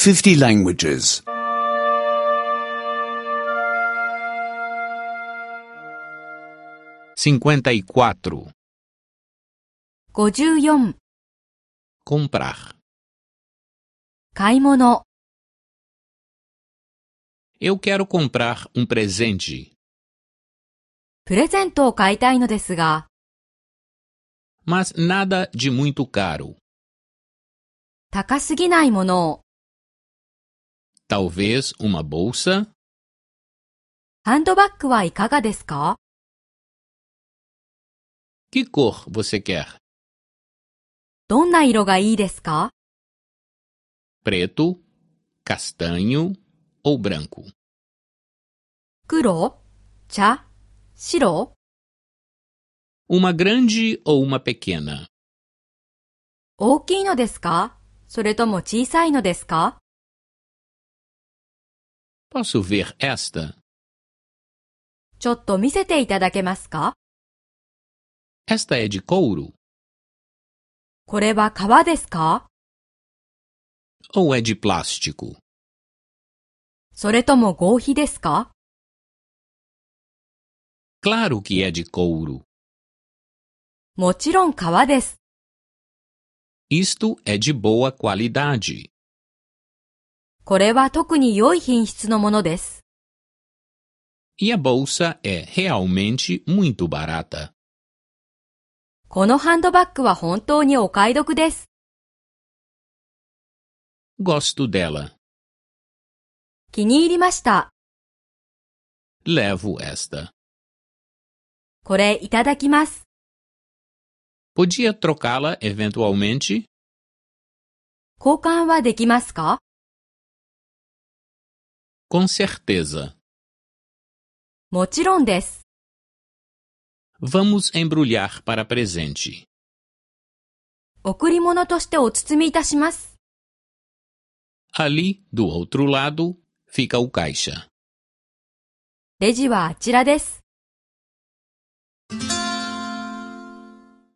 50 languages. 54. 54、 Comprar. 買い物、 Eu quero comprar um presente, プレゼントを買いたいのですが、 mas nada de muito caro. 高すぎないものを、 Talvez uma bolsa, ハンドバッグはいかがですか？ que cor você quer? どんな色がいいですか？ Preto, castanho ou branco? 黒、茶、白、 Uma grande ou uma pequena? 大きいのですか？それとも小さいのですか？ Posso ver esta? ちょっと見せていただけますか？ Esta é de couro これは革ですか？ ou é de plástico? それとも合皮ですか？ Claro que é de couro. もちろん革です。 Isto é de boa qualidade. これは特に良い品質のものです。 E a bolsa é realmente muito barata. このハンドバッグは本当にお買い得です。 Gosto dela. 気に入りました。 Levo esta. これいただきます。 Podia trocá-la eventualmente? 交換はできますか？ Com certeza. もちろんです。 Vamos embrulhar para presente. 贈り物としてお包みいたします。 Ali, do outro lado, fica o caixa. レジはあちらです。